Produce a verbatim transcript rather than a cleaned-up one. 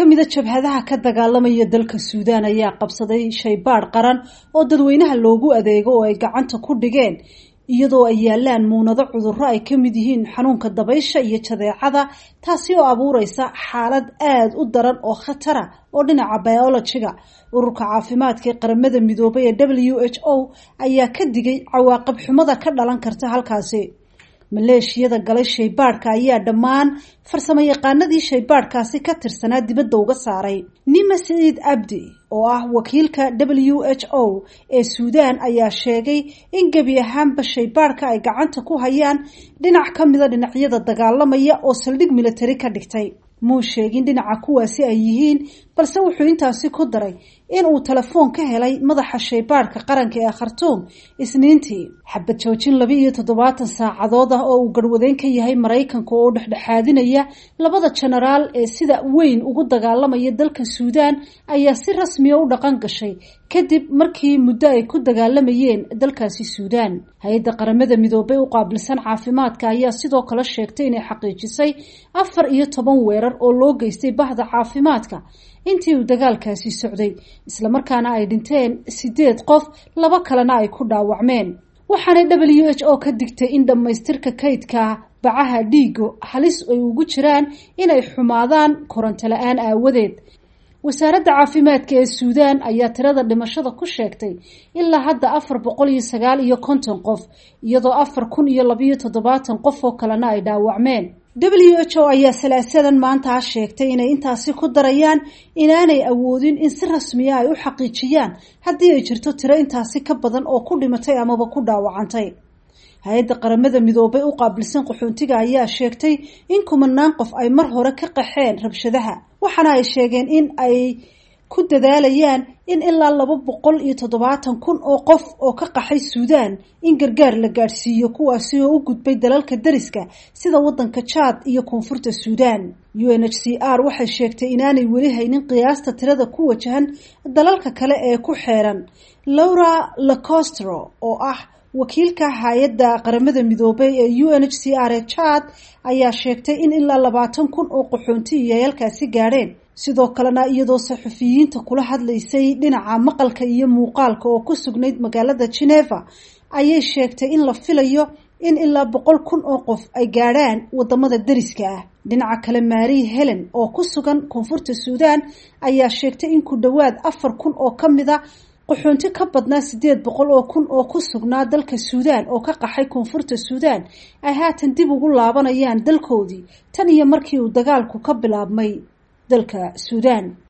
Mid kamida jabhadaha ka dagaalamaya dalka Suudaan ayaa qabsaday shaybaadh qaran oo dadweynaha loogu adeego oo ay gacanta ku dhigeen, iyadoo ay yaalaan muunado cudurro ay ka mid yihiin xanuunka dabaysha iyo jadeecada, taasi oo abuureysa xaalad aada u daran oo khatara oo dhinaca biolojiga. Ururka caafimaadka ee Qaramada Midoobay ee W H O ayaa ka digay cawaaqib xumada ka dhalan karta halkaasi. Maleeshiyada galay shaybaadhka ayaa dhammaan farsamo yaqaanadii shaybaadhkaasi ka tirsanaa dibadda uga saaray. Nima Siciid Abdi oo ah wakiilka W H O ee Suudaan ayaa sheegay in gebi ahaanba shaybaadhka ay gacanta ku hayaan dhinac ka mida dhinacyada dagaalamaya oo saldhig militari ka dhigtay. Muu sheegin dhinaca kuwaasi ay yihiin, balse wuxuu intaasi ku daray in uu telefoon ka helay madaxa shaybaadhka qaranka ee Khartuum Isniintii. Xabad joojin laba iyo toddobaatan saacadood ah oo uu garhwadeyn ka yahay Maraykanka oo dhexdhexaadinaya labada jenaraal ee sida weyn ugu dagaalamaya dalka Suudaan ayaa si rasmiya u dhaqan gashay kadib markii muddo ay ku dagaalamayeen dalkaasi Suudaan. Hay-adda Qaramada Midoobay u qaabilsan caafimaadka ayaa sidoo kale sheegtay inay xaqiijisay afar iyo toban weerar oo loo geystay bahda caafimaadka intii uu dagaalkaasi socday, islamarkaana ay dhinteen sideed qof, laba kalena ay ku dhaawacmeen. Waxaanay W H O ka digtay in dhammaystirka kaydka bacaha dhiigo halis ay ugu jiraan inay xumaadaan koronto la-aan aawadeed. Wasaaradda caafimaadka ee Suudaan ayaa tirada dhimashada ku sheegtay ilaa hadda afar boqol iyo sagaal iyo konton qof, iyadoo afar kun iyo labayo toddobaatan qof oo kalena ay dhaawacmeen. W H O ayaa Salaasadan maanta sheegtay inay intaasi ku darayaan inaanay awoodin in si rasmiya ay u xaqiijiyaan haddii ay jirto tiro intaasi ka badan oo ku dhimatay amaba ku dhaawacantay. Hay-adda Qaramada Midoobay u qaabilsan qaxoontiga ayaa sheegtay in kumanaan qof ay mar hore ka qaxeen rabshadaha, waxaana ay sheegeen in ay ku dadaalayaan in ilaa laba boqol iyo toddobaatan kun oo qof oo ka qaxay Suudaan in gargaar la gaadhsiiyo, kuwaasi oo u gudbay dalalka dariska sida wadanka Jaad iyo Koonfurta Suudaan. U N H C R waxay sheegtay inaanay weli haynin qiyaasta tirada ku wajahan dalalka kale ee ku xeeran. Laura Lacostro oo ah wakiilka hay-adda Qaramada Midoobay ee U N H C R ee Chad ayaa sheegtay in ilaa labaatan kun oo qaxoonti iyo ay halkaasi gaadheen. Sidoo kalena, iyadoo saxufiyiinta kula hadlaysay dhinaca maqalka iyo muuqaalka oo ku sugnayd magaalada Geneva, ayay sheegtay in la filayo in ilaa boqol kun oo qof ay gaadhaan wadamada dariska ah. Dhinaca kale, Marie Helen oo ku sugan Koonfurta Suudaan ayaa sheegtay in ku dhowaad afar kun oo ka mid a qaxoonti ka badnaa sideed boqol oo kun oo ku sugnaa dalka Suudaan oo ka qaxay Koonfurta Suudaan ay haatan dib ugu laabanayaan dalkoodii tan iyo markii uu dagaalku ka bilaabmay dalka Suudaan.